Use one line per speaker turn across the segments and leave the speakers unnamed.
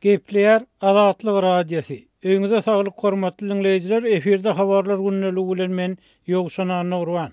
Gepleýär Azatlyk Radiosy. Öýüňize saglyk hormatly diňleýjiler, efirde habarlar gündeligi bilen men Ýowşan Annagurban.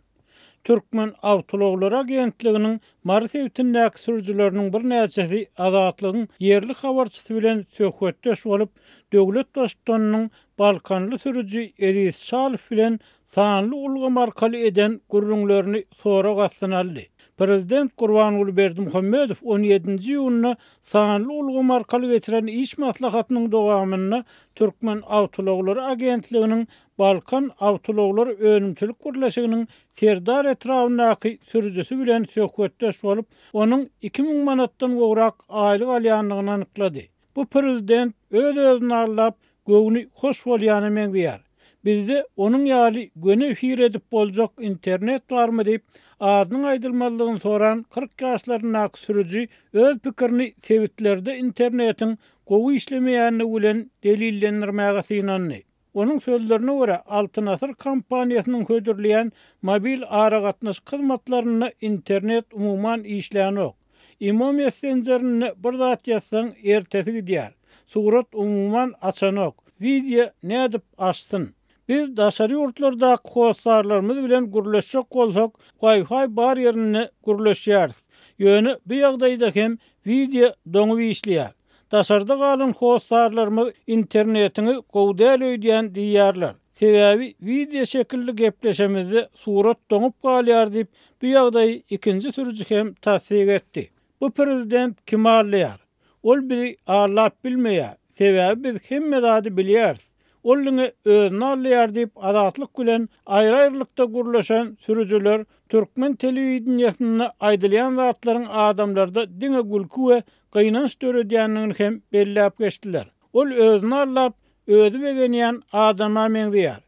Türkmen awtoulaglary agentliginiň Mary sebitindäki sürüjileriniň birnäçesi Azatlygyň ýerli habarçysy bilen söhbetdeş bolup, döwlet Baştutanynyň balkanly sürüji Eziz Çalow bilen sanly ulgam arkaly eden gürrüňlerini sorag astyna aldy. Prezident Gurbanguly Berdimuhamedow on ýedinji iýunda sanly ulgam arkaly geçiren iş maslahatynyň dowamynda Türkmenawtoulaglary agentliginiň Balkan awtoulaglary önümçilik birleşiginiň Serdar etrabyndaky sürüjisi bilen söhbetdeş bolup, onuň 2000 manatdan gowrak aýlyk alýandygyny anyklady. Bu prezident öz-özüni aldap, göwni hoş bolýana meňzeýär. Bizde onuň ýaly göni efir edip boljak internet barmy diýip, adynyň aýdylmazlygyny soran 40 ýaşlaryndaky sürüji öz pikirini sebitlerde internetiň gowy işlemeýändigi bilen delillendirmäge synandy. Onuň sözlerine görä, Altyn Asyr kompaniýasynyň hödürleýän mobil aragatnaşyk hyzmatlarynda internet umuman işlänok. Imo messenjerinde bir zat ýazsaň, ertesi gidýär. Surat umuman açanok. Wideo nädip açsyn? Biz daşary ýurtlardaky hossarlarymyz bilen gürleşjek bolsak, Wi-Fi bar ýerinde gürleşýäris. Ýöne bu ýagdaýda hem wideo doňup işleýär. Daşarda galan hossarlarymyz internetiňiz gowy däl öýdýän diýýärler. Sebäbi wideo şekilli gepleşemizde surat doňup galýar diýip, bu ýagdaýy ikinji sürüji hem tassyk etdi. Bu prezident kimi aldaýar? Ol bizi aldap bilmeýär. Sebäbi biz hemme zady bilýäris. Ol diňe özüni aldaýar diýip, Azatlyk bilen aýry-aýrylykda gürleşen sürüjiler türkmen telewideniýesinde aýdylýan zatlaryň adamlarda diňe gülki we gynanç döredýändigini hem belläp geçdiler. Ol özüni aldap, özi begenýän adama meňzeýär.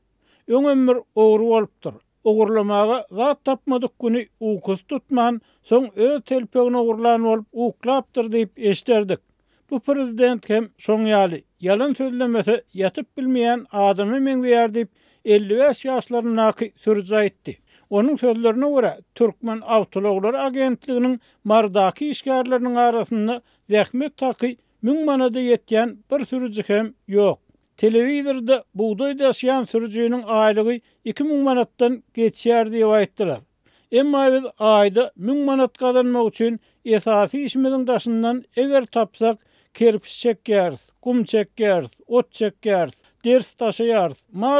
Öňem bir ogry bolupdyr. Ogurlamaga zat tapmadyk güni ukusy tutman, soň öz telpegini ogurlan bolup uklapdyr diýip eşderdik. Bu prezident hem şoň ýaly, ýalan sözlemese ýatyp bilmeýän adama meňzeýär diýip, 55 ýaşlaryndaky sürüji aýtdy. Onuň sözlerine görä, Türkmenawtoulaglary agentliginiň Marydaky işgärleriniň arasynda zähmet haky müň manada ýetýän bir sürüji hem ýok. Telewizorda bugdaý daşaýan sürüjiniň aýlygy 2000 manatdan geçýär diýip aýtdylar. Emma biz aýda müň manat gazanmak üçin esasy işimiziň daşyndan eger tapsak kerpiç çekýäris, gum çekýäris, ot çekýäris, ders daşaýarys, mal.